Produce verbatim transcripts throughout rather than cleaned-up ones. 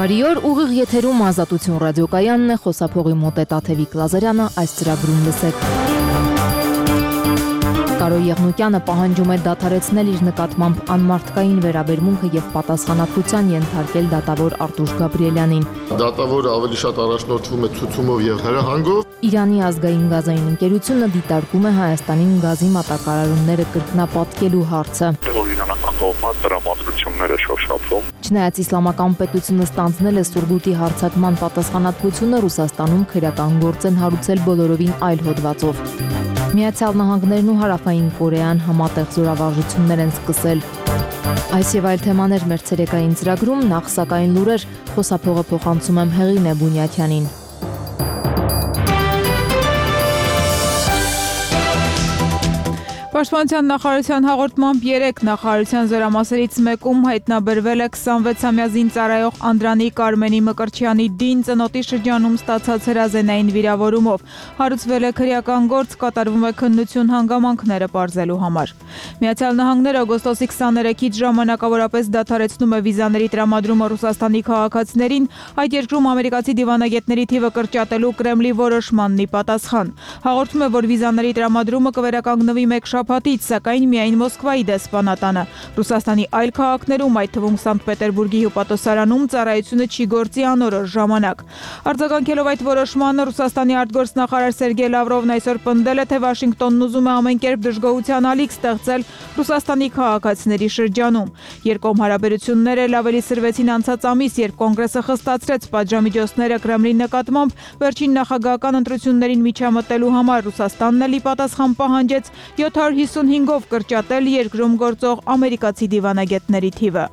Բարի օր, ուղիղ եթերում Ազատություն ռադիոկայանն է, խոսափողի մոտ է Տաթևիկ Լազարյանը, այս ծրագրում լսեք։ Կարո Եղնուկյանը պահանջում է դադարեցնել իր նկատմամբ անմարդկային վերաբերմունքը եւ պատասխանատվության ենթարկել դատավոր Արտուշ Գաբրիելյանին։ Դատավորը ավելի շատ առաջնորդվում է ցուցումով եւ հրահանգով։ Իրանի ազգային գազային ընկերությունը դիտարկում է Հայաստանին գազի մատակարարումները կրկնապատկելու հարցը։ Չնայած իսլամական պետությունը ստանձնել է Սուրգուտի հարձակման պատասխանատվությունը, Ռուսաստանում քրեական գործ են հարուցել բոլորովին այլ հոդվածով։ Միացյալ Նահանգներն ու Հարավային Կորեան համատեղ զորավարժություններ են սկսել։ Այս եւ այլ թեմաներ մեր ցերեկային ծրագրում, նախ սակայն լուրեր, խոսափողը փոխանցում եմ Հեղինե Բունյաթյանին։ Պաշտպանության նախարարության հաղորդմամբ երեք նախարարության զորամասերից մեկում հայտնաբերվել է քսանվեցամյա զինծառայող Անդրանիկ Արմենի Մկրտչյանի դին ծնոտի շրջանում ստացած հրազենային վիրավորումով։ Հարուցվել է քրեական գործ, կատարվում է քննություն հանգամանքները պարզելու համար։ Միացյալ Նահանգները օգոստոսի քսաներեքից ժամանակավորապես դադարեցնում է վիզաների տրամադրումը Ռուսաստանի քաղաքացիներին, այդ երկրում ամերիկացի դիվանագետների թիվը կրճատելու Կրեմլի որոշմանն ի պատասխան։ Հաղորդում է, որ վիզաների տրամադրումը կվերականգնվի մեկ շաբաթից, սակայն միայն Մոսկվայի դեսպանատանը։ Ռուսաստանի այլ քաղաքներում, այդ թվում Սանկտ Պետերբուրգի հյուպատոսարանում, ծառայությունը չի գործի անորոշ ժամանակ։ Արձագանքելով այդ որոշմանը, Ռուսաստանի արտգործնախարար Սերգեյ Լավրովն այսօր պնդել է, թե Վաշինգտոնն ուզում է ամեն կերպ դժգոհության ալիք ստեղծել Ռուսաստանի քաղաքացիների շրջանում։ Երկկողմ հարաբերությունները էլ ավելի սրվեցին անցած ամիս, երբ Կոնգրեսը խստացրեց պատժամիջոցները Կրեմլի նկատմամբ վերջին նախագահական ընտրություններին միջամտելու համար։ Ռուսաստանն էլ ի պատասխան պահանջեց յոթ հարյուր հիսունհինգով կրճատել երկրում գործող ամերիկացի դիվանագետների թիվը։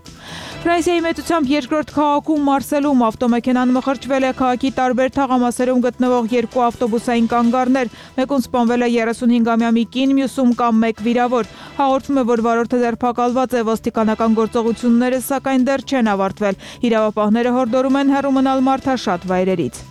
Ֆրանսիայի մեծությամբ երկրորդ քաղաքում Մարսելում ավտոմեքենան մխրճվել է, քաղաքի տարբեր թաղամասերում գտնվող երկու ավտոբուսային կանգառներ, մեկում սպանվել է երեսունհինգամյա մի կին, մյուսում կամ մեկ վիրավոր։ Հաղորդվում է, որ վարորդը ձերբակալված է, ոստիկանական գործողությունները սակայն դեռ չեն ավարտվել։ Իրավապահները հորդորում են հեռու մնալ մարդաշատ վայրերից։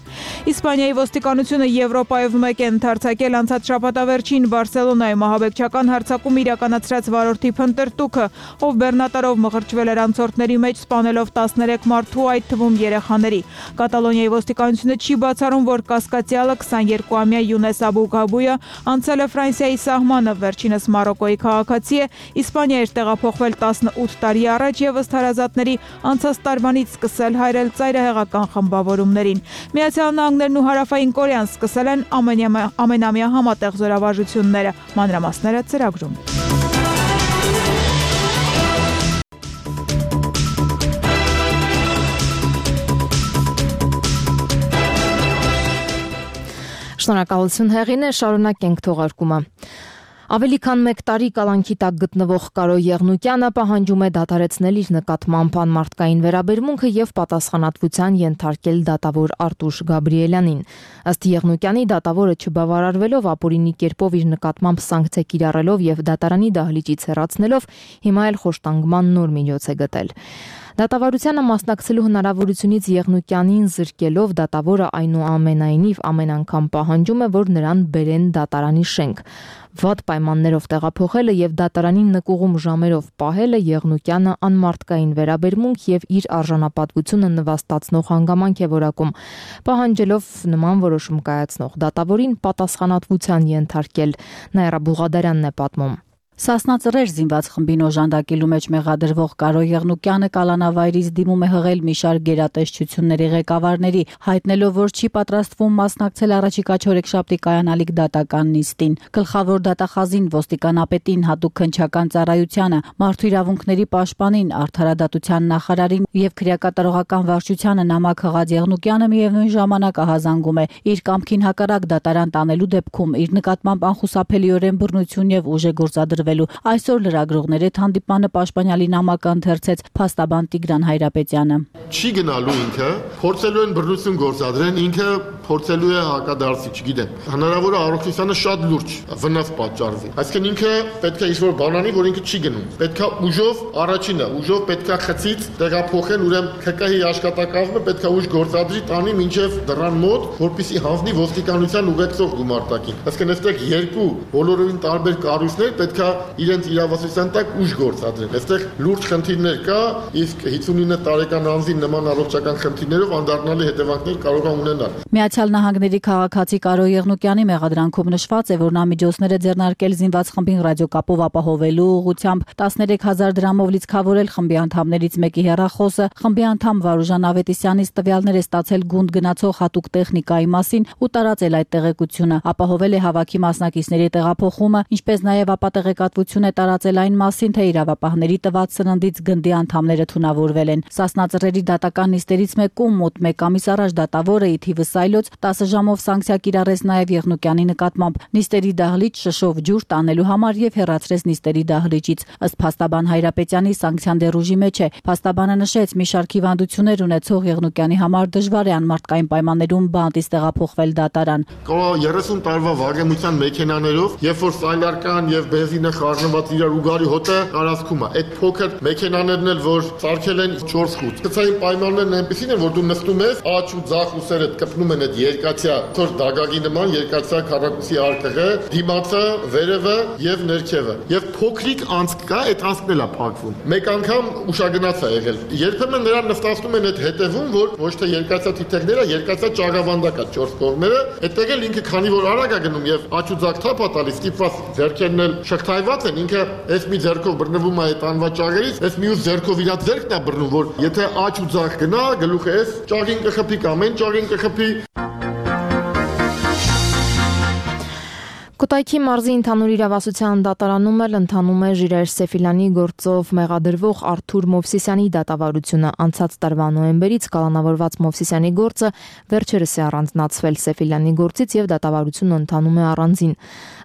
Իսպանիայի ոստիկանությունը Եվրոպայով մեկ է ընդարձակել անցած շաբաթավերջին Բարսելոնայում ահաբեկչական հարձակում իրականացրած վարորդի փնտրտուքը, ով բեռնատարով մխրճվել էր անցորդների մեջ, սպանելով տասներեք մարդու, այդ թվում երեխաների։ Կատալոնիայի ոստիկանությունը չի բացառում, որ կասկածյալը քսաներկուամյա Յունես Աբուգաբույը անցել է Ֆրանսիայի սահմանը, վերջինս Մարոկոյի քաղաքացի է, Իսպանիա էր տեղափոխվել տասնութ տարի առաջ եւ ըստ հարազատների անցած տարվանից սկսել հայրել ծայրահեղական խմբավորումներին։ Միացյալ Նահանգներն ու Հարավային Կորեան սկսել են ամենամյա համատեղ զորավարժությունները, մանրամասները ծրագրում։ Շնորհակալություն Հեղինե, շարունակենք թողարկումը։ Ավելի քան մեկ տարի կալանքի տակ գտնվող Կարո Եղնուկյանը պահանջում է դադարեցնել իր նկատմամբ անմարդկային վերաբերմունքը եւ պատասխանատվության ենթարկել դատավոր Արտուշ Գաբրիելյանին։ Ըստ Եղնուկյանի, դատավորը չբավարարվելով ապօրինի կերպով իր նկատմամբ սանկցիա կիրառելով եւ դատարանի դահլիճից հեռացնելով, հիմա էլ խոշտանգման նոր միջոց է գտել։ Դատավարությանը մասնակցելու հնարավորությունից Եղնուկյանին զրկելով, դատավորը այնուամենայնիվ ամեն անգամ պահանջում է, որ նրան բերեն դատարանի շենք։ Վատ պայմաններով տեղափոխելը եւ դատարանին նկուղում ժամերով պահելը Եղնուկյանը անմարդկային վերաբերմունք եւ իր արժանապատվությունը նվաստացնող հանգամանք է որակում, պահանջելով նման որոշում կայացնող դատավորին պատասխանատվության ենթարկել։ Նաիրա Բուղադարյանն է պատմում։ Սասնածռեր զինված խմբին օժանդակելու մեջ մեղադրվող Կարո Եղնուկյանը կալանավայրից դիմում է հղել մի շարք գերատեսչությունների ղեկավարների, հայտնելով, որ չի պատրաստվում մասնակցել առաջիկա չորեքշաբթի կայանալիք դատական նիստին։ Գլխավոր դատախազին, ոստիկանապետին, հատուկ քննչական ծառայությանը, մարդու իրավունքների պաշտպանին, արդարադատության նախարարին եւ քրեակատարողական վարչությանը նամակ հղած Եղնուկյանը միևնույն ժամանակ ահազանգում է իր կամքին հակառակ դատարան տանելու դեպքում իր նկատմամբ անխուսափելիորեն բռնություն եւ ուժ է գործադրվել։ Այսօր լրագրողների հետ հանդիպմանը պաշտպանյալի նամակը ընթերցեց փաստաբան Տիգրան Հայրապետյանը։ Չի գնալու ինքը, փորձելու են բռնություն գործադրեն, ինքը փորձելու է հակադարձի, չգիտեմ։ Հնարավոր է առողջությանը շատ լուրջ վնաս պատճառվի։ Այսինքն ինքը պետք է ինչ-որ բան անի, որ ինքը չի գնում։ Պետք է ուժով առաջինը, ուժով պետք է խցից տեղափոխել, ուրեմն K K H-ի աշխատակազմը պետք է ուժ գործադրի տանի մինչև դռան մոտ, որպեսզի հանձնի ոստիկանության ուղեկցող գումարտակին։ Այսինքն այստեղ երկու բոլորովին տարբեր կառույցներ պետք է իրենց իրավասության տակ ուժ գործադրեն։ Այստեղ լուրջ խնդիրներ կա, իսկ հիսունինը տարեկան անձին նման առողջական խնդիրներով անդառնալի հետևանքներ կարող է ունենալ։ Միացյալ Նահանգների քաղաքացի Կարո Եղնուկյանի մեղադրանքում նշված է, որ նա միջոցներ է ձեռնարկել զինված խմբին ռադիոկապով ապահովելու ուղղությամբ տասներեք հազար դրամով լիցքավորել խմբի անդամներից մեկի հեռախոսը, խմբի անդամ Վարուժան Ավետիսյանից տվյալներ է ստացել գունդ գնացող հատուկ տեխնիկայի մասին ու տարածել այդ տեղեկությունը, ապահովել է հավաքի մասնակիցների տեղափոխումը, ինչպես նաև ապատեղեկատվություն է տարածել այն մասին, թե իրավապահների տված սննդից գնդի անդամները թունավորվել են։ Սասնածռերի դատական նիստերից մեկում մոտ մեկ ամիս առաջ դատավորը ի թիվս այլոց տասը ժամով սանկցիա կիրառեց նաև Եղնուկյանի նկատմամբ նիստերի դահլիճ շշով ջուր տանելու համար եւ հեռացրեց նիստերի դահլիճից։ Ըստ փաստաբան Հայրապետյանի սանկցիան դեռ ուժի մեջ է։ Փաստաբանը նշեց, մի շարք հիվանդություններ ունեցող Եղնուկյանի համար դժվար է անմարդկային պայմաններում բանտից տեղափոխվել դատարան։ Կարող երեսուն տարվա վարեմության մեքենաներով, երբ որ սայլարկան եւ բենզինը խառնված իրար ուգարի հոտը տարածքում է, այդ փոքր մեքենաներն էլ որ սարքել են չորս խուտ։ Գծային պայմաններն այնպեսին են, որ դու նստում ես, աջ ու ձախ ուսերդ կպնում են այդ երկաթյա թոր դագագի նման երկաթյա քառակուսի արկղը, դիմացը, վերևը եւ ներքևը։ Եվ փոքրիկ անցք կա, այդ անցքն էլ է փակվում։ Մեկ անգամ ուշագնաց է եղել։ Երբեմն նրան նստացնում են այդ հետևում, որ ոչ թե երկաթյա թիթեղները, երկաթյա ճաղավանդակա չորս կողմերը, այդտեղ էլ ինքը քանի որ արագ է գնում եւ աջ ու ձախ թափ է տալիս, ստիպված ձեռքերն էլ շղթայված են, ինքը այս մի ձեռքով բռնվում է այդ անվաճառերից, այս մյուս ձեռքով իր ձեռքն է բռնում, որ եթե աջ ու ձախ գնա, գլուխը էս ճաղին կխփի կամ այն ճաղին կխփի։ Կոտայքի մարզի ընդհանուր իրավասության դատարանում էլ ընթանում է Ժիրայր Սեֆիլյանի գործով մեղադրվող Արթուր Մովսիսյանի դատավարությունը։ Անցած տարվա նոյեմբերից կալանավորված Մովսիսյանի գործը վերջերս է առանձնացվել Սեֆիլյանի գործից եւ դատավարությունը ընթանում է առանձին։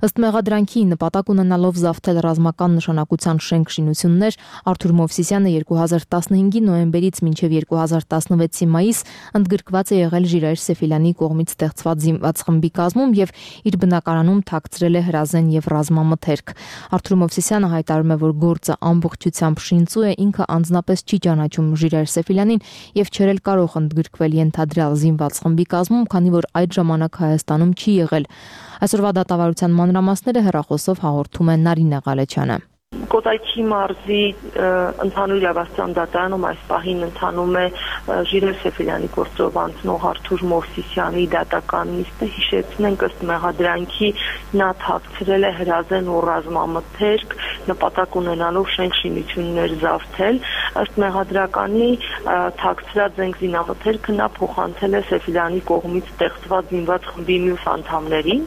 Ըստ մեղադրանքի նպատակ ունենալով զավթել ռազմական նշանակության շենք շինություններ, Արթուր Մովսիսյանը երկու հազար տասնհինգի նոյեմբերից մինչև երկու հազար տասնվեցի մայիս ընդգրկված է եղել Ժիրայր Սեֆիլյանի կողմից ստեղծված զինված խմբի կազմում եւ իր բնակարանում ցրել է հրազեն եւ ռազմամթերք։ Արթուր Մովսիսյանը հայտարարում է, որ գործը ամբողջությամբ շինծու է, ինքը անձնապես չի ճանաչում Ժիրայր Սեֆիլյանին եւ չէր էլ կարող ընդգրկվել ենթադրյալ զինված խմբի կազմում, քանի որ այդ ժամանակ Հայաստանում չի եղել։ Այսօրվա դատավարության մանրամասները հեռախոսով հաղորդում է Նարինե Ղալեչյանը։ Կոտայքի մարզի ընդհանուր իրավասության դատարանում այս պահին ընթանում է Ժիրայր Սեֆիլյանի գործով անցնող Արթուր Մովսիսյանի դատական նիստը։ Հիշեցնենք, ըստ մեղադրանքի նա թաքցրել է հրազեն ու ռազմամթերք, նպատակ ունենալով շենք շինություններ զավթել։ Ըստ մեղադրականի թաքցրած զենք զինամթերքը նա փոխանցել է Սեֆիլյանի կողմից ստեղծված զինված խմբի մյուս անդամներին։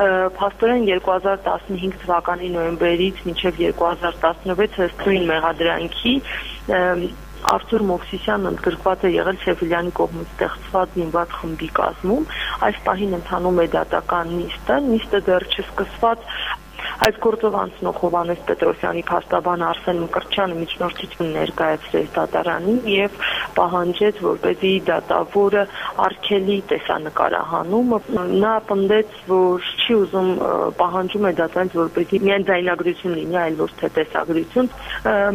Փաստորեն երկու հազար տասնհինգ թվականի նոյեմբերից մինչև երկու հազար տասնվեց ըստ նույն մեղադրանքի Արթուր Մովսիսյանն ընդգրկված է եղել Սեֆիլյանի կողմից ստեղծված զինված խմբի կազմում։ Այս պահին ընթանում է դատական նիստը, նիստը դեռ չսկսված։ Այս գործով անցնող Հովհաննես Պետրոսյանի փաստաբան Արսեն Մկրտչյանը միջնորդություն ներկայացրեց դատարանին եւ պահանջեց, որպեսզի դատավորը արգելի տեսանկարահանումը։ Նա պնդեց, որ չի ուզում պահանջում է դատարանից, որպեսզի միայն ձայնագրություն լինի, այլ ոչ թե տեսագրություն։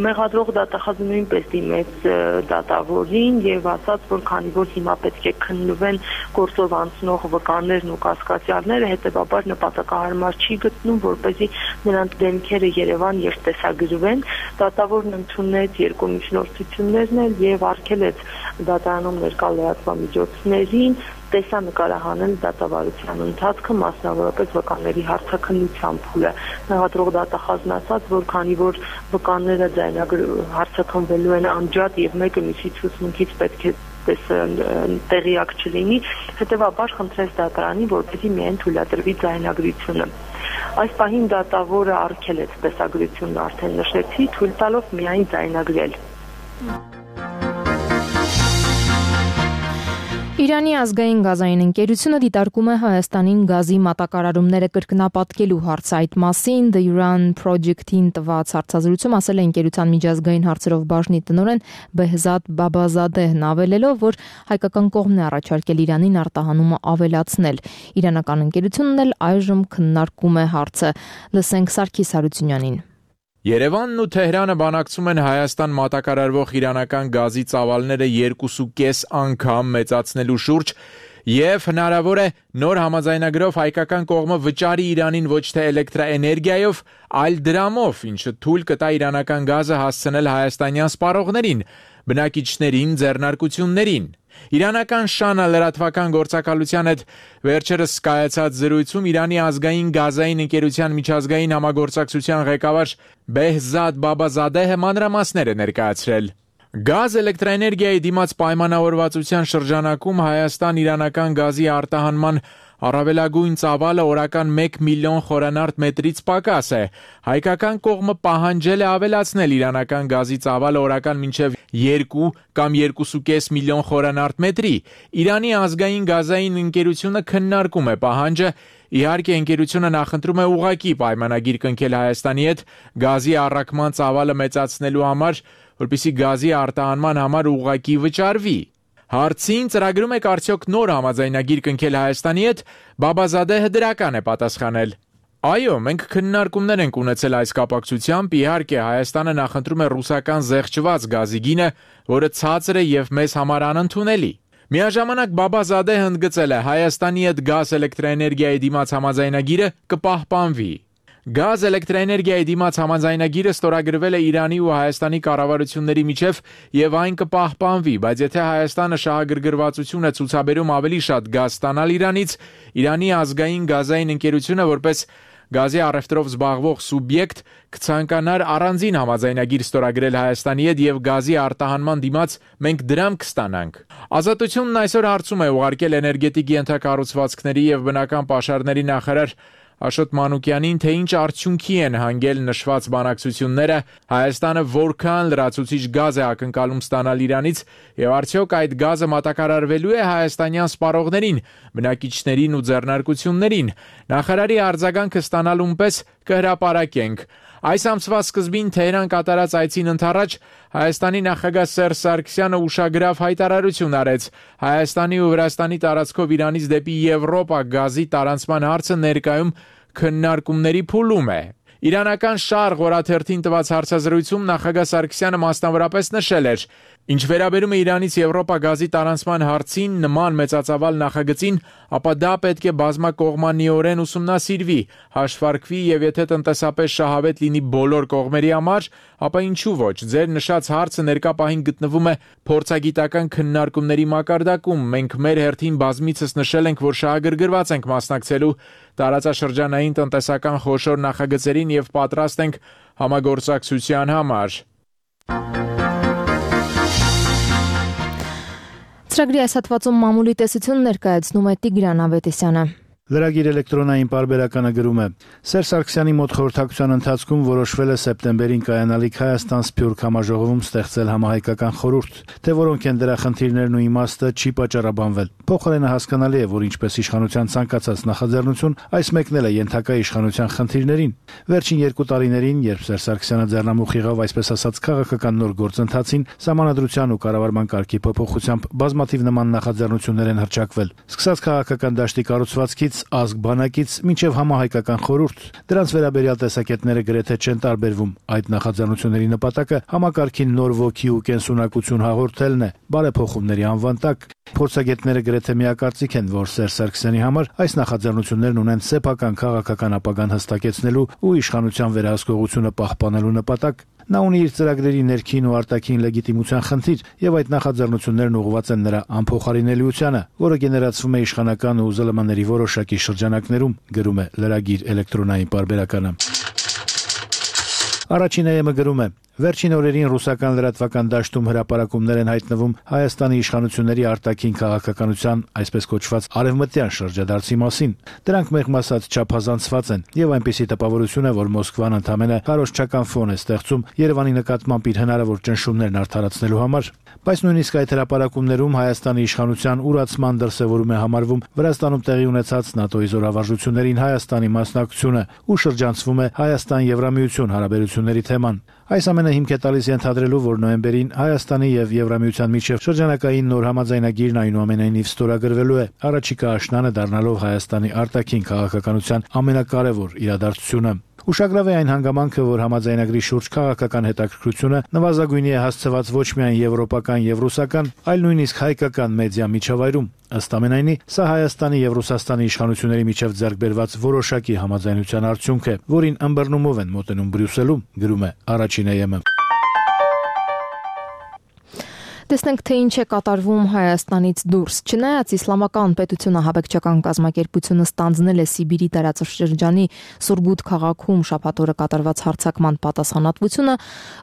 Մեղադրող դատախազը նույնպես դիմեց դատավորին եւ ասաց, որ քանի որ հիմա պետք է քննվեն գործով անցնող վկաներն ու կասկածյալները, հետեւաբար նպատակահարմար չի գտնում, որպեսզի նրանց դեմքերը Երևան եւ տեսագրվեն։ Դատավորն ընդունեց երկու միջնորդություններն էլ եւ արգելեց դատարանում ներկա լրատվամիջոցներին տեսանկարահանել դատավարության ընթացքը, մասնավորապես վկաների հարցաքննության փուլը։ Մեղադրող դատախազն ասաց, որ քանի որ վկաները հարցաքննվելու են անջատ եւ մեկը մյուսի ցուցմունքից պետք է տեղյակ չլինի, հետեւաբար խնդրեց դատարանին, որպեսզի միայն թույլատրվի ձայնագրությունը։ Այս պահին դատավորը արգելեց տեսագրությունն արդեն նշեցի, թույլ տալով միայն ձայնագրել։ Իրանի ազգային գազային ընկերությունը դիտարկում է Հայաստանին գազի մատակարարումները կրկնապատկելու հարցը։ Այդ մասին The Iran Project-ին տված հարցազրույցում ասել է ընկերության միջազգային հարցերով բաժնի տնօրեն Բեհզադ Բաբազադեհն, ավելելով, որ հայկական կողմն է առաջարկել Իրանին արտահանումը ավելացնել։ Իրանական ընկերությունն էլ այժմ քննարկում է հարցը։ Լսենք Սարգիս Հարությունյանին։ Երևանն ու Թեհրանը բանակցում են Հայաստան մատակարարվող իրանական գազի ծավալները երկուսուկես անգամ մեծացնելու շուրջ եւ հնարավոր է նոր համաձայնագրով հայկական կողմը վճարի Իրանին ոչ թե էլեկտրաէներգիայով, այլ դրամով, ինչը թույլ կտա իրանական գազը հասցնել հայաստանյան սպառողներին, բնակիչներին, ձեռնարկություններին։ Իրանական Շանա լրատվական գործակալության հետ վերջերս կայացած զրույցում Իրանի ազգային գազային ընկերության միջազգային համագործակցության ղեկավար Բեհզադ Բաբազադեհը մանրամասներ է ներկայացրել։ Գազ էլեկտրաէներգիայի դիմաց պայմանավորվածության շրջանակում Հայաստան-իրանական գազի արտահանման առավելագույն ծավալը օրական մեկ միլիոն խորանարդ մետրից պակաս է։ Հայկական կողմը պահանջել է ավելացնել իրանական գազի ծավալը օրական մինչև երկու կամ երկուսուկես միլիոն խորանարդ մետրի։ Իրանի ազգային գազային ընկերությունը քննարկում է պահանջը։ Իհարկե ընկերությունը նախընտրում է ուղղակի պայմանագիր կնքել Հայաստանի հետ գազի առաքման ծավալը մեծացնելու համար, որպեսզի գազի արտահանման համար ուղղակի վճարվի։ Հարցին ծրագրում եք արդյոք նոր համաձայնագիր կնքել Հայաստանի հետ, Բաբազադեհը դրական է պատասխանել։ Այո, մենք քննարկումներ ենք ունեցել այս կապակցությամբ, իհարկե Հայաստանը նախընտրում է ռուսական զեղչված գազի գինը, որը ցածր է եւ մեզ համար անընդունելի։ Միաժամանակ Բաբազադեհը ընդգծել է Հայաստանի հետ գազ էլեկտրաէներգիայի դիմաց համաձայնագիրը կպահպանվի։ Գազ էլեկտրաէներգիայի դիմաց համաձայնագիրը ստորագրվել է Իրանի ու Հայաստանի կառավարությունների միջև եւ այն կպահպանվի, բայց եթե Հայաստանը շահագրգռվածություն է ցուցաբերում ավելի շատ գազ ստանալ Իրանից, Իրանի ազգային գազային ընկերությունը որպես գազի առևտրով զբաղվող սուբյեկտ կցանկանար առանձին համաձայնագիր ստորագրել Հայաստանի հետ եւ գազի արտահանման դիմաց մենք դրամ կստանանք։ Ազատությունն այսօր հարցում է ուղարկել էներգետիկ ենթակառուցվածքների եւ բնական պաշարների նախարար Աշոտ Մանուկյանին, թե ինչ արդյունքի են հանգել նշված բանակցությունները, Հայաստանը որքան լրացուցիչ գազ է ակնկալում ստանալ Իրանից եւ արդյոք այդ գազը մատակարարվելու է հայաստանյան սպառողներին, բնակիչներին ու ձեռնարկություններին։ Նախարարի արձագանքը ստանալուն պես կհրապարակենք։ Այս ամսվա սկզբին Թեհրան կատարած այցին ընդառաջ Հայաստանի նախագահ Սերժ Սարգսյանը ուշագրավ հայտարարություն արեց։ Հայաստանի ու Վրաստանի տարածքով Իրանից դեպի Եվրոպա գազի տարանցման հարցը ներկայում քննարկումների փուլում է։ Իրանական Շարղ օրաթերթին տված հարցազրույցում նախագահ Սարգսյանը մասնավորապես նշել էր. Ինչ վերաբերում է Իրանից Եվրոպա գազի տարանցման հարցին, նման մեծածավալ նախագծին, ապա դա պետք է բազմակողմանիորեն ուսումնասիրվի, հաշվարկվի եւ եթե տնտեսապես շահավետ լինի բոլոր կողմերի համար, ապա ինչու ոչ, ձեր նշած հարցը ներկա պահին գտնվում է փորձագիտական քննարկումների մակարդակում։ Մենք մեր հերթին բազմիցս նշել ենք, որ շահագրգռված ենք մասնակցելու տարածաշրջանային տնտեսական խոշոր նախագծերին եւ պատրաստ ենք համագործակցության համար։ Ծրագրի այս հատվածում մամուլի տեսություն ներկայացնում է Տիգրան Ավետիսյանը։ Լրագիր էլեկտրոնային պարբերականը գրում է. Սերժ Սարգսյանի մոտ խորհրդակցության ընթացքում որոշվել է սեպտեմբերին կայանալիք Հայաստան-Սփյուռք համաժողովում ստեղծել համահայկական խորհուրդ, թե որոնք են դրա խնդիրներն ու իմաստը չի պատճառաբանվել։ Փոխարենը հասկանալի է, որ ինչպես իշխանության ցանկացած նախաձեռնություն, այս մեկնել է ենթակա իշխանության խնդիրներին։ Վերջին երկու տարիներին, երբ Սերժ Սարգսյանը ձեռնամուխ եղավ այսպես ասած քաղաքական նոր գործընթացին, սահմանադրության ու կառավարման կարգի փոփոխությամբ բազմաթիվ նման նախաձեռնություններ են հռչակվել։ Սկսած քաղաքական դաշտի կառուցվածքից ազգ բանակից մինչև համահայկական խորհուրդ, դրանց վերաբերյալ տեսակետները գրեթե չեն տարբերվում։ Այդ նախաձեռնությունների նպատակը համակարգին նոր ոգի ու կենսունակություն հաղորդելն է, բարեփոխումների անվան տակ։ Փորձագետները գրեթե միակարծիք են, որ Սերժ Սարգսյանի համար այս նախաձեռնություններն ունեն սեփական քաղաքական ապագան հստակեցնելու ու իշխանության վերահսկողությունը պահպանելու նպատակ։ Նա ունի իր ծրագրերի ներքին ու արտաքին լեգիտիմության խնդիր եւ այդ նախաձեռնություններն ուղղված են նրա անփոխարինելիությանը, որը գեներացվում է իշխանական ու ԶԼՄ-ների որոշակի շրջանակներում, գրում է լրագիր էլեկտրոնային պարբերականը։ Առաջին ԱԵՄ-ը գրում է. Վերջին օրերին ռուսական լրատվական դաշտում հրապարակումներ են հայտնվում Հայաստանի իշխանությունների արտաքին քաղաքականության, այսպես կոչված արևմտյան շրջադարձի մասին։ Դրանք մեղմ ասած չափազանցված են եւ այնպիսի տպավորություն է, որ Մոսկվան ընդամենը քարոզչական ֆոն է ստեղծում Երևանի նկատմամբ իր հնարավոր ճնշումներն արդարացնելու համար։ Բայց նույնիսկ այդ հրապարակումներում Հայաստանի իշխանության ուրացման դրսևորում է համարվում Վրաստանում տեղի ունեցած ՆԱՏՕ-ի զորավարժություններին Հայաստանի մասնակցությունը ու շրջանցվում է Հայաստան-Եվրամիություն հարաբերությունների թեման։ Այս ամենը հիմք է տալիս ենթադրելու, որ նոյեմբերին Հայաստանի եւ Եվրամիության միջև շրջանակային նոր համաձայնագիրն այնուամենայնիվ ստորագրվելու է, առաջիկա աշնանը դառնալով Հայաստանի արտաքին քաղաքականության ամենակարևոր իրադարձությունը։ Ուշագրավ է այն հանգամանքը, որ համաձայնագրի շուրջ քաղաքական հետաքրքրությունը նվազագույնի է հասցված ոչ միայն եվրոպական եւ ռուսական, այլ նույնիսկ հայկական մեդիա միջավայրում։ Ըստ ամենայնի, սա Հայաստանի եւ Ռուսաստանի իշխանությունների միջև ձեռք բերված որոշակի համաձայնության արդյունք է, որին ըմբռնումով են մոտենում Բրյուսելում, գրում է Առաջին է-ը։ Տեսնենք, թե ինչ է կատարվում Հայաստանից դուրս։ Չնայած իսլամական պետությունը հավաքչական կազմակերպությունը ստանձնել է Սիբիրի տարածաշրջանի Սուրգութ քաղաքում շաբաթ օրը կատարված հարձակման պատասխանատվությունը,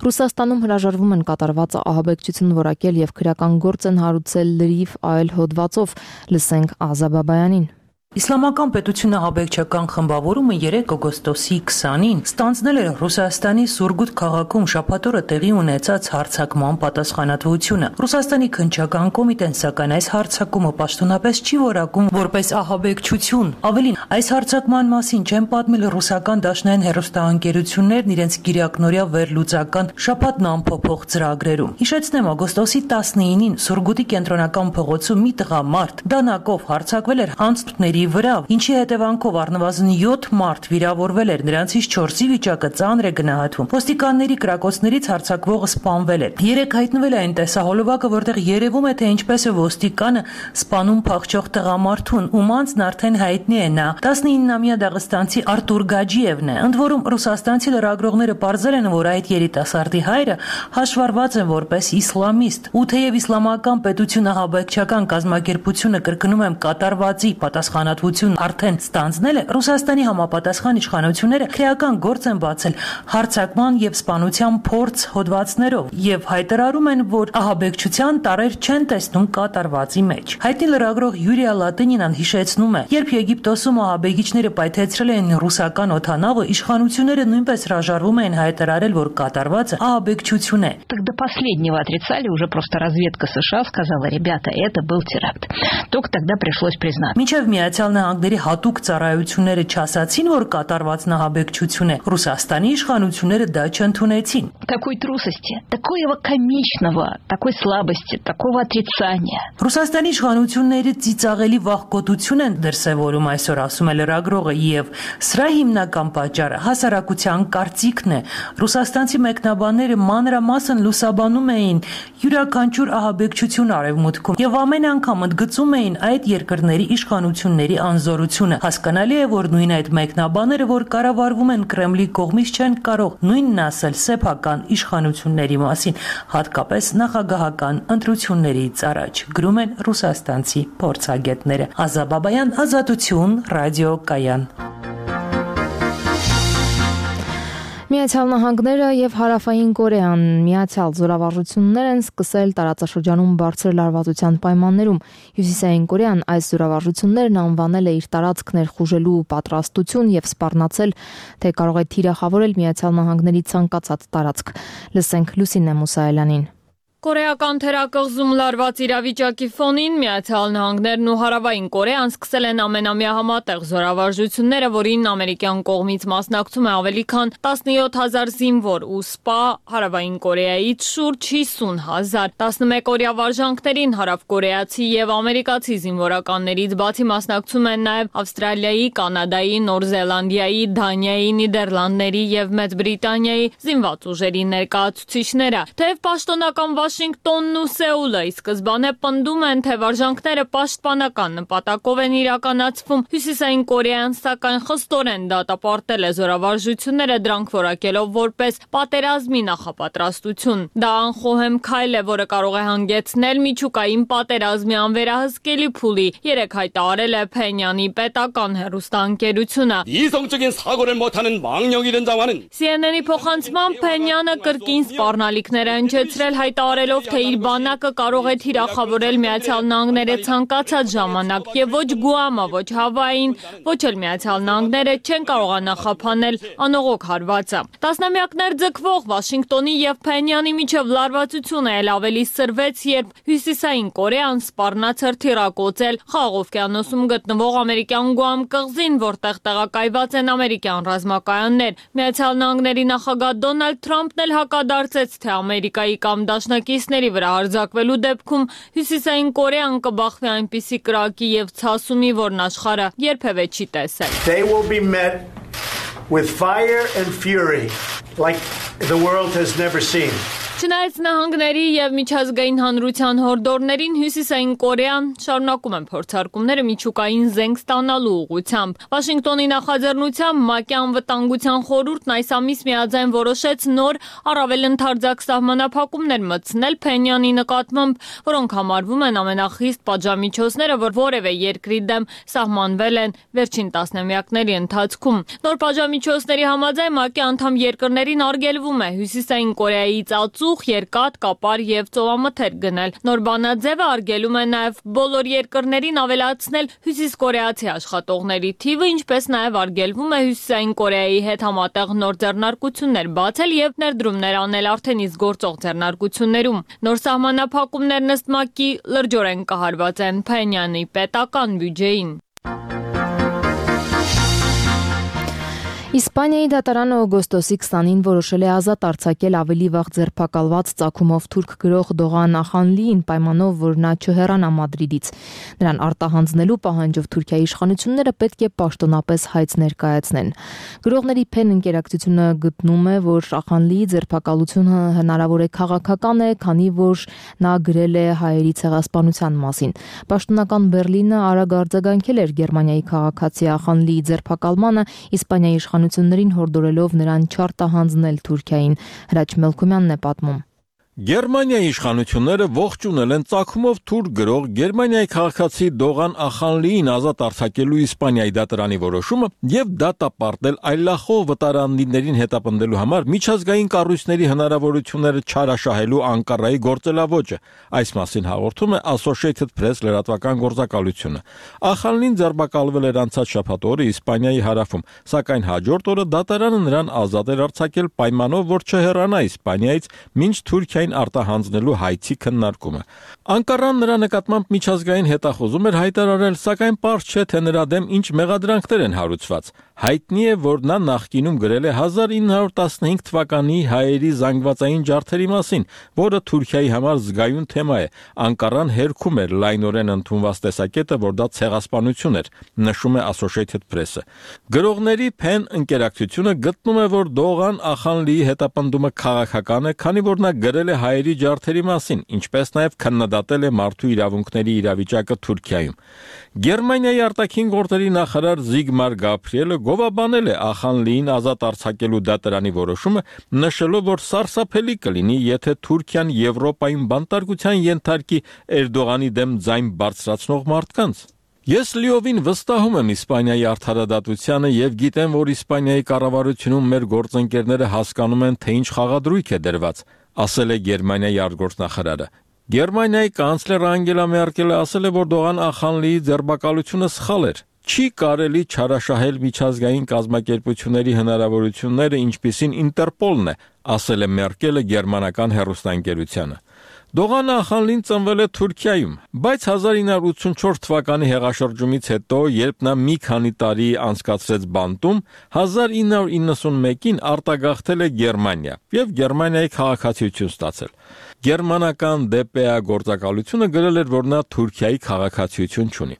Ռուսաստանում հրաժարվում են կատարված ահաբեկչություն որակել եւ քրեական գործ են հարուցել լրիվ այլ հոդվածով։ Լսենք Ազա Բաբայանին։ Իսլամական պետությունը ահաբեկչական խմբավորումը երեք օգոստոսի քսանին ստանձնել էր Ռուսաստանի Սուրգութ քաղաքում շաբաթ օրը տեղի ունեցած հարձակման պատասխանատվությունը։ Ռուսաստանի քննչական կոմիտեն սակայն այս հարձակումը պաշտոնապես չի որակում որպես ահաբեկչություն։ Ավելին, այս հարձակման մասին չեն պատմել ռուսական դաշնային հեռուստաընկերություններն իրենց գիրակնօրյա վերլուծական շաբաթն ամփոփող ծրագրերում։ Հիշեցնեմ, օգոստոսի տասնինին Սուրգութի կենտրոնական փողոցում մի տղամարդ դանակով հարձակվել էր անցորդների վրա, ինչի հետևանքով առնվազն յոթ մարդ վիրավորվել էր, նրանցից չորսի վիճակը ծանր է գնահատվում։ Ոստիկանների կրակոցներից հարձակվողը սպանվել էր։ Երեք հայտնվել է այն տեսահոլովակը, որտեղ երևում է, թե ինչպես է ոստիկանը սպանում փախչող տղամարդուն, ում անձն արդեն հայտնի է նա տասնինամյա դաղստանցի Արտուր Գաջիևն է։ Ընդ որում ռուսաստանցի լրագրողները պարզել են, որ այդ երիտասարդի հայրը հաշվառված է որպես իսլամիստ։ Ու թեև իսլամական պետությունը ահաբեկչական կազմակերպությունը կրկնում եմ կատարվածի պատասխանատվություն արդեն ստանձնել է, Ռուսաստանի համապատասխան իշխանությունները քրեական գործ են բացել հարձակման եւ սպանության փորձ հոդվածներով եւ հայտարարում են, որ ահաբեկչության տարեր չեն տեսնում կատարվածի մեջ։ Հայտնի լրագրող Յուրիա Լատինինան հիշեցնում է, երբ Եգիպտոսում ահաբեկիչները պայթեցրել էին ռուսական օդանավը, իշխանությունները նույնպես հրաժարվում էին հայտարարել, որ կատարվածը ահաբեկչություն է։ Так до последнего отрицали, уже просто разведка США сказала: ребята, это был теракт. Только тогда пришлось признать. Մինչև Միացյալ Նահանգների հատուկ ծառայությունները չասացին, որ կատարվածն ահաբեկչություն է, Ռուսաստանի իշխանությունները դա չընդունեցին։ Такой трусости, такого комичного, такой слабости, такого отрицания. Ռուսաստանի իշխանությունները ծիծաղելի վախկոտություն են դրսևորում այսօր, ասում է լրագրողը, եւ սրա հիմնական պատճառը հասարակության կարծիքն է։ Ռուսաստանցի մեկնաբանները մանրամասն լուսաբանում էին յուրաքանչյուր ահաբեկչություն արևմուտքում եւ ամեն անգամ ընդգծում էին այդ երկրների իշխանությունների անզորությունը։ Հասկանալի է, որ նույն այդ մեկնաբաները, որ կառավարվում են Կրեմլի կողմից, չեն կարող նույնն ասել սեփական իշխանությունների մասին, հատկապես նախագահական ընտրություններից առաջ, գրում են ռուսաստանցի փորձագետները։ Ազա Բաբայան, Ազատություն, ռադիո Կայան։ Միացյալ Նահանգները եւ Հարավային Կորեան միացյալ զորավարժություններ են սկսել տարածաշրջանում բարձր լարվածության պայմաններում։ Հյուսիսային Կորեան այս զորավարժություններն անվանել է իր տարածք ներխուժելու պատրաստություն եւ սպառնացել, թե կարող է թիրախավորել Միացյալ Նահանգների ցանկացած տարածք։ Լսենք Լուսինե Մուսայելյանին։ Կորեական թերակղզում լարված իրավիճակի ֆոնին Միացյալ Նահանգներն ու Հարավային Կորեան սկսել են ամենամյա համատեղ զորավարժությունները, որին ամերիկյան կողմից մասնակցում է ավելի քան տասնյոթ հազար զինվոր ու սպա, Հարավային Կորեայից շուրջ հիսուն հազար։ տասնմեկօրյա վարժանքներին հարավկորեացի եւ ամերիկացի զինվորականներից բացի մասնակցում են նաեւ Ավստրալիայի, Կանադայի, Նոր Զելանդիայի, Դանիայի, Նիդերլանդների եւ Մեծ Բրիտանիայի զինված ուժերի ներկայացուցիչները։ Թեև պաշտոնական Վաշինգտոնն ու Սեուլը ի սկզբանե պնդում են, թե վարժանքները պաշտպանական նպատակով են իրականացվում։ Հյուսիսային Կորեան սակայն խստորեն դատապարտել է զորավարժությունները, դրանք որակելով որպես պատերազմի նախապատրաստություն։ Դա անխոհեմ քայլ է, որը կարող է հանգեցնել միջուկային պատերազմի անվերահսկելի փուլի, երեք հայտարարել է Փենյանի պետական հեռուստաընկերությունը։ Սի Էն Էն-ի փոխանցմամբ Փենյանը կրկին սպառնալիքներ է հնչեցրել, հայտարարելով, թե իր բանակը կարող է թիրախավորել Միացյալ Նահանգները ցանկացած ժամանակ, եւ ոչ Գուամը, ոչ Հավային, ոչ էլ Միացյալ Նահանգները չեն կարող նախապանել անողոք հարվածը։ Տասնամյակներ ձգվող Վաշինգտոնի եւ Փենյանի միջև լարվածությունը էլ ավելի սրվեց, երբ Հյուսիսային Կորեան սպառնացր թիրակոծել Խաղաղ օվկիանոսում գտնվող ամերիկյան Գուամ կղզին, որտեղ տեղակայված են ամերիկյան ռազմակայաններ։ Միացյալ Նահանգների նախագահ Դոնալդ Թրամփն էլ հակադարձեց, թե Ամերիկայի կամ դաշնակիցների վրա հարձակվելու դեպքում Հյուսիսային Կորեան կբախվի այնպիսի կրակի եւ ցասումի, որն աշխարհը երբևէ չի տեսել։ They will be met with fire and fury like the world has never seen. Չնայած նահանգների եւ միջազգային հանրության հորդորներին, Հյուսիսային Կորեան շարունակում են փորձարկումները միջուկային զենք ստանալու ուղղությամբ։ Վաշինգտոնի նախաձեռնությամբ ՄԱԿ-ի անվտանգության խորհուրդն այս ամիս միաձայն որոշեց նոր առավել ընդարձակ սահմանափակումներ մտցնել Փենյանի նկատմամբ, որոնք համարվում են ամենախիստ պատժամիջոցները, որ որևէ երկրի դեմ սահմանվել են վերջին տասնամյակների ընթացքում։ Նոր պատժամիջոցների համաձայն ՄԱԿ-ի անդամ երկրներին արգելվում է Հյուսիսային Կորեայից ածուխ, երկաթ, կապար եւ ծովամթերք գնել։ Նոր բանաձևը արգելում է նաեւ բոլոր երկրներին ավելացնել հյուսիսկորեացի աշխատողների թիվը, ինչպես նաեւ արգելվում է Հյուսիսային Կորեայի հետ համատեղ նոր ձեռնարկություններ բացել եւ ներդրումներ անել արդեն իսկ գործող ձեռնարկություններում։ Նոր սահմանափակումներն ըստ ՄԱԿ-ի լրջորեն կահարված են Փենյանի պետական բյուջեին։ Իսպանիայի դատարանը օգոստոսի քսանին որոշել է ազատ արձակել ավելի վաղ ձերբակալված ծագումով թուրք գրող Դողան Ախանլիին պայմանով, որ նա չհեռանա Մադրիդից։ Նրան արտահանձնելու պահանջով Թուրքիայի իշխանությունները պետք է պաշտոնապես հայց ներկայացնեն։ Գրողների Փեն ընկերակցությունը գտնում է, որ Ախանլիի ձերբակալությունը հնարավոր է քաղաքական է, քանի որ նա գրել է հայերի ցեղասպանության մասին։ Պաշտոնական Բերլինը արագ արձագանքել էր Գերմանիայի քաղաքացի Ախանլիի ձերբակալմանը, Իսպանիայի իշխանություններին հորդորելով նրան չարտահանձնել Թուրքիային։ Հրաչ Մելքումյանն է պատմում։ Գերմանիայի իշխանությունները ողջունել են ծագումով թուրք գրող Գերմանիայի քաղաքացի Դողան Ախանլիին ազատ արձակելու Իսպանիայի դատարանի որոշումը եւ դատապարտել այլախոհ վտարանդիներին հետապնդելու համար միջազգային կառույցների հնարավորությունները չարաշահելու Անկարայի գործելավոճը։ Այս մասին հաղորդում է Associated Press լրատվական գործակալությունը։ Ախանլին ձերբակալվել էր անցած շաբաթ օրը Իսպանիայի հարավում, սակայն հաջորդ օրը դատարանը նրան ազատ էր արձակել պայմանով, որ չհեռանա Իսպանիայից, մինչ Թուրքիա արտահանձնելու հայցի քննարկումը։ Անկարան նրա նկատմամբ միջազգային հետախուզում էր հայտարարել, սակայն պարզ չէ, թե նրա դեմ ինչ մեղադրանքներ են հարուցված։ Հայտնի է, որ նա նախկինում գրել է հազար ինը հարյուր տասնհինգ թվականի հայերի զանգվածային ջարդերի մասին, որը Թուրքիայի համար զգայուն թեմա է։ Անկարան հերքում էր լայնորեն ընդունված տեսակետը, որ դա ցեղասպանություն էր, նշում է Associated Press-ը։ Գրողների Փեն ընկերակցությունը գտնում է, որ Դողան Ախանլիի հետապնդումը քաղաքական է, քանի որ նա գրել է հայերի ջարդերի մասին, ինչպես նաև քննադատել է մարդու իրավունքների իրավիճակը Թուրքիայում։ Գերմանիայի արտաքին գործերի նախարար Զիգմար Գաբրիելը գովաբանել է Ախանլիին ազատ արձակելու դատարանի որոշումը, նշելով, որ սարսափելի կլինի, եթե Թուրքիան Եվրոպայում բանտարկության ենթարկի Էրդողանի դեմ ձայն բարձրացնող մարդկանց։ Ես լիովին վստահում եմ Իսպանիայի արդարադատությանը եւ գիտեմ, որ Իսպանիայի կառավարությունում մեր գործընկերները հասկանում են, թե ինչ խաղադրույք է դրված, ասել է Գերմանիայի արտգործնախարարը։ Գերմանիայի կանցլեր Անգելա Մերկելը ասել է, որ Դողան Ախանլիի ձերբակալությունը սխալ էր։ Չի կարելի չարաշահել միջազգային կազմակերպությունների հնարավորությունները, ինչպիսին Ինտերպոլն է, ասել է Մերկելը գերմանական հեռուստաընկերությանը։ Դողան Ախանլին ծնվել է Թուրքիայում, բայց հազար ինը հարյուր ութսունչորս թվականի հեղաշրջումից հետո, երբ նա մի քանի տարի անցկացրեց բանտում, հազար ինը հարյուր իննսունմեկին արտագաղթել է Գերմանիա եւ Գերմանիայի քաղաքացիություն ստացել։ Գերմանական դե պե է գործակալությունը գրել էր, որ նա Թուրքիայի քաղաքացիություն չունի։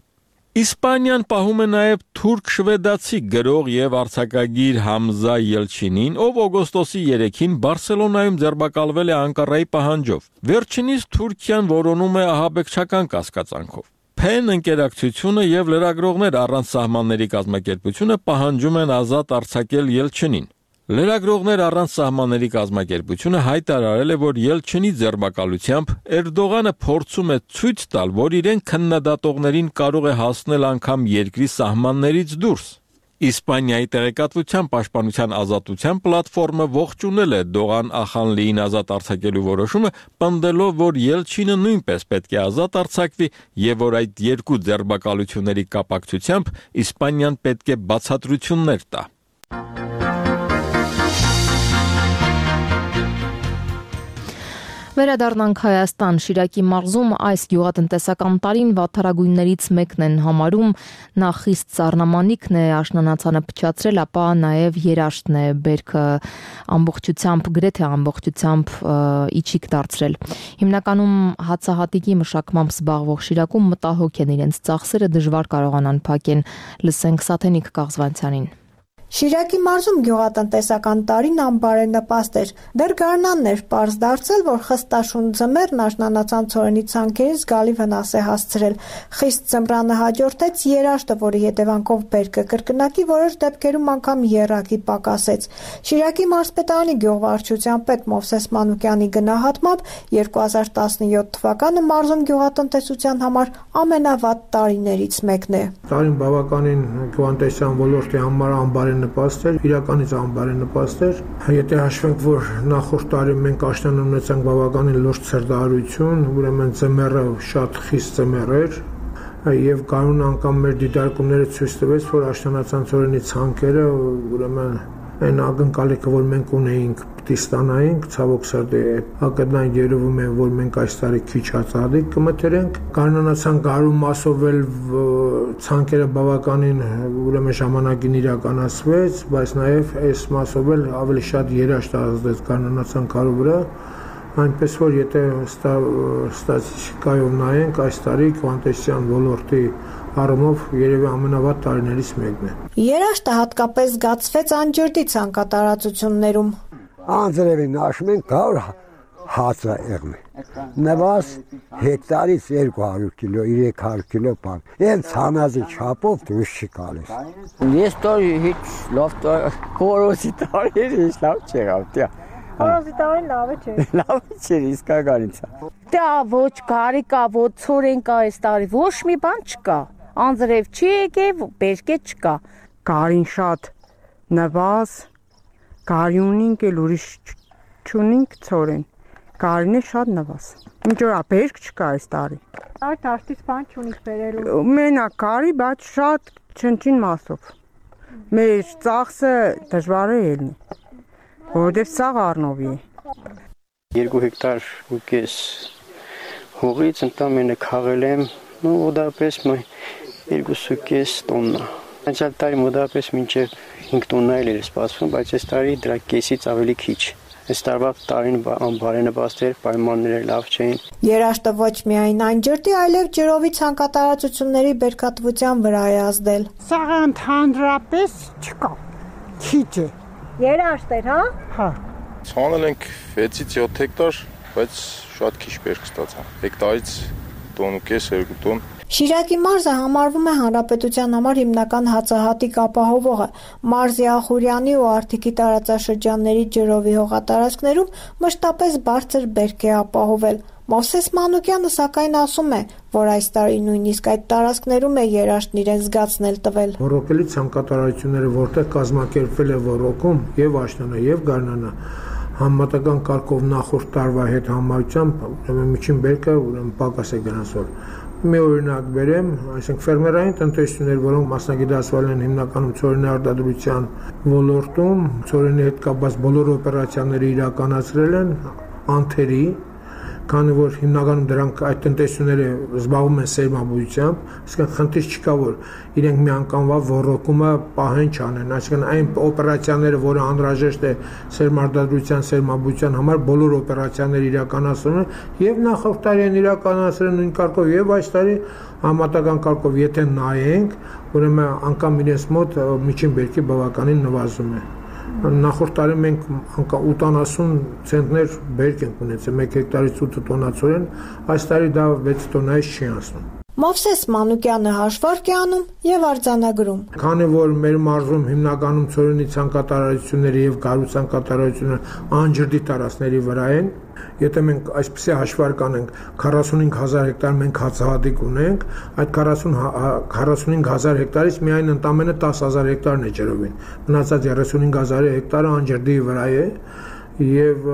Իսպանիան պահում է նաև թուրք-շվեդացի գրող եւ արձակագիր Համզա Ելչինին, ով օգոստոսի երեքին Բարսելոնայում ձերբակալվել է Անկարայի պահանջով։ Վերջինիս Թուրքիան որոնում է ահաբեկչական կասկածանքով։ Փեն ընկերակցությունը եւ լրագրողներ առանց սահմանների կազմակերպությունը պահանջում են ազատ արձակել Ելչինին։ Լրագրողներ առանց սահմանների կազմակերպությունը հայտարարել է, որ Ելչինի ձերբակալությամբ Էրդողանը փորձում է ցույց տալ, որ իրեն քննադատողներին կարող է հասնել անգամ երկրի սահմաններից դուրս։ Իսպանիայի տեղեկատվության պաշտպանության ազատության պլատֆորմը ողջունել է Դողան Ախանլիին ազատ արձակելու որոշումը, պնդելով, որ Ելչինը նույնպես պետք է ազատ արձակվի եւ որ այդ երկու ձերբակալությունների կապակցությամբ Իսպանիան պետք է բացատրություններ տա։ Վերադառնանք Հայաստան, Շիրակի մարզում այս գյուղատնտեսական տարին վատթարագույններից մեկն են համարում, նա խիստ սառնամանիքն է, աշնանացանը փչացրել, ապա նաև երաշտն է, բերքը ամբողջությամբ, գրեթե ամբողջությամբ իջիկ դարձրել։ Հիմնականում հացահատիկի մշակմամբ զբաղվող Շիրակում մտահոգ են իրենց ծախսերը, դժվար կարողանան փակեն։ Լսենք Սաթենիկ Կաղզվանցյանին։ Շիրակի մարզում գյուղատնտեսական տարին անբարենպաստ էր։ Դեռ գարնանն էր պարզ դարձել, որ խստաշուն ձմեռն աշնանացան ցորենի ցանքերին զգալի վնաս է հասցրել։ Խիստ ձմռանը հաջորդեց երաշտը, որի հետևանքով բերքը կրկնակի, որոշ դեպքերում անգամ եռակի պակասեց։ Շիրակի մարզպետարանի գյուղվարչության պետ Մովսես Մանուկյանի գնահատմամբ երկու հազար տասնյոթ թվականը մարզում գյուղատնտեսության համար ամենավատ տարիներից մեկն է։ Տարին բավականին գյուղատնտեսության ոլորտի համար անբարենպաստ նպաստ էր, իրականից անբարենպաստ էր։ Եթե հաշվենք, որ նախորդ տարի մենք աշնան ունեցանք բավականին լուրջ ցրտահարություն, ուրեմն ձմեռը շատ խիստ ձմեռ էր, եւ կանոն անգամ մեր դիտարկումները ցույց տվեց, որ աշնանացան ցորենի ցանքերը, ուրեմն այն ակնկալիքը, որ մենք ունեինք, պիտի ստանայինք, ցավոք սրտի ակնային երևում է, որ մենք այս տարի քիչ հացահատիկ կմթերենք։ Կանոնացան գարու մասով էլ ցանքերը բավականին ուրեմն ժամանակին իրականացվեց, բայց նաև այս մասով էլ ավելի շատ երաշտ ազդեց կանոնացան գարու վրա, այնպես որ եթե ստատիստիկայով նայենք, այս տարի գյուղատնտեսության ոլորտի առումով երևի ամենավատ տարիներից մեկն է։ Երաշտը հատկապես զգացվեց անջրդի ցանկատարածություններում։ Անձրևին նաշում են գար հացը եղմի։ Նվազ հեկտարից երկու հարյուր կիլո, երեք հարյուր կիլո բան։ Այն ցանազի չափով դուրս չի գալիս։ Ես տարի հիչ լավ կորոսի տարի հիչ լավ չեղավ, տա։ Կորոսի տարին լավ չէ։ Լավ չէ, իսկականից։ Դա ոչ գարի կա, ոչ ցորեն կա այս տարի, ոչ մի բան չկա։ Անձրև չի եկել, բերկե չկա։ Գարին շատ նվազ, գարյունինք էլ ուրիշ չունինք ցորեն։ Գարին է շատ նվազ։ Ինչ որ բերք չկա այս տարի։ Այդ դաշտից բան չունիք բերելու։ Մենակ գարի, բայց շատ չնչին մասով։ Մեր ծախսը դժվար է ելնի, որովհետև սաղ առնովի է։ Երկու հեկտար ու կես հողից ընդամենը քաղել եմ, ու մոտավորապես երկու կես տոննա։ Անցյալ տարի մոտավորապես մինչև հինգ տոննա էր սպասվում, բայց այս տարի դրա կեսից ավելի քիչ։ Այս տարվա տարին անբարենպաստ էր, պայմանները լավ չէին։ Երաշտը ոչ միայն անջրդի, այլև ջրովի ցանկատարածությունների բերքատվության վրա է ազդել։ Սաղ ընդհանրապես չկա, քիչ է։ Երաշտ էր, հա։ Հա։ Ցանել ենք վեցից յոթ հեկտար, բայց շատ քիչ բերք ստացա։ Հեկտարից տոն ու կես, երկու տոն։ Շիրակի մարզը համարվում է հանրապետության համար հիմնական հացահատիկ ապահովողը։ Մարզի Ախուրյանի ու Արթիկի տարածաշրջանների ջրովի հողատարածքներում մշտապես բարձր բերք է ապահովել։ Մովսես Մանուկյանը սակայն ասում է, որ այս տարի նույնիսկ այդ տարածքներում է երաշտն իրեն զգացնել տվել։ Ռոռոկելի ցանկատարությունները, որտեղ կազմակերպվել է ռոռոկում եւ աշնանը եւ գարնանը, համեմատական կարգով նախորդ տարվա հետ համարությամբ, ուրեմն միջին բերքը ուրեմն պակաս է գնացել։ Մի օրինակ բերեմ, այսինքն ֆերմերային տնտեսություններ, որոնք մասնագիտացվել են հիմնականում ցորենի արտադրության ոլորտում, ցորենի հետ կապված բոլոր օպերացիաները իրականացրել են անթերի, քանի որ հիմնականում դրանք այդ տնտեսությունները զբաղվում են սերմաբույությամբ, այսինքն խնդիր չկա, որ իրենք մի անգամվա ոռոգումը պահեն չանեն, այսինքն այն օպերացիաները, որը անհրաժեշտ է սերմարտադրության, սերմաբույության համար, բոլոր օպերացիաները իրականացնում են եւ նախորդ տարի են իրականացրել նույն կարգով եւ այս տարի համատական կարգով եթե նայենք, ուրեմն անգամ իրենց մոտ միջին բերքի բավականին նվազում է։ Նախորդ տարի մենք անգամ ութանասուն ցենտներ բերք ենք ունեցել մեկ հեկտարից ութ տոննա ցորեն, այս տարի դա վեց տոննայից չի անցնում։ Մովսես Մանուկյանը հաշվարկ է անում եւ արձանագրում։ Քանի որ մեր մարզում հիմնականում ցորենի ցանկատարությունները եւ գարու ցանկատարությունները անջրդի տարածքների վրա են, եթե մենք այսպեսի հաշվարկ անենք քառասունհինգ հազար հեկտար մենք հացահատիկ ունենք, այդ քառասունհինգ հազար հեկտարից միայն ընդամենը տասը հազար հեկտարն է ջրովին։ Մնացած երեսունհինգ հազար հեկտարը անջրդի վրա է։ Եվ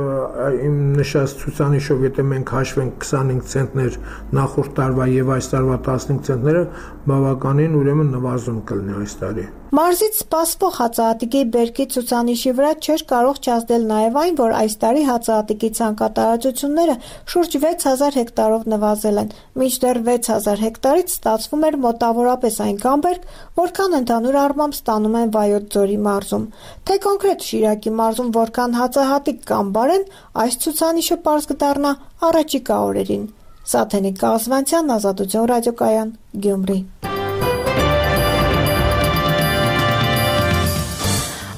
իմ նշած ցուցանիշով եթե մենք հաշվենք քսանհինգ ցենտներ նախորդ տարվա եւ այս տարվա տասնհինգ ցենտները բավականին ուրեմն նվազում կլինի այս տարի։ Մարզից սպասվող հացահատիկի բերքի ցուցանիշի վրա չէր կարող չազդել նաեւ այն, որ այս տարի հացահատիկի ցանկատարությունները շուրջ վեց հազար հեկտարով նվազել են, մինչդեռ վեց հազար հեկտարից ստացվում էր մոտավորապես այնքան բերք, որքան ընդհանուր առմամբ ստանում են Վայոց ձորի մարզում։ Թե կոնկրետ Շիրակի մարզում որքան հացահատիկ կամ բարեն, այս ցուցանիշը պարզ կդառնա առաջիկա օրերին։ Սաթենիկ Կազվանցյան, Ազատություն ռադիոկայան, Գյումրի։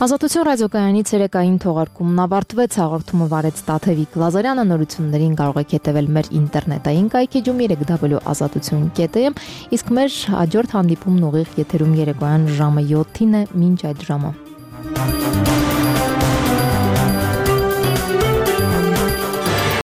Ազատություն ռադիոկայանի ցերեկային թողարկումն ավարտվեց, հաղորդումը վարեց Տաթևիկ Լազարյանը, նորություններին կարող եք հետևել մեր ինտերնետային կայքեջում երեք դաբլյու ազատություն կետ էմ, իսկ մեր հաջորդ հանդիպումն ուղիղ եթերում երեկոյան ժամը յոթին է, մինչ այդ ժամը։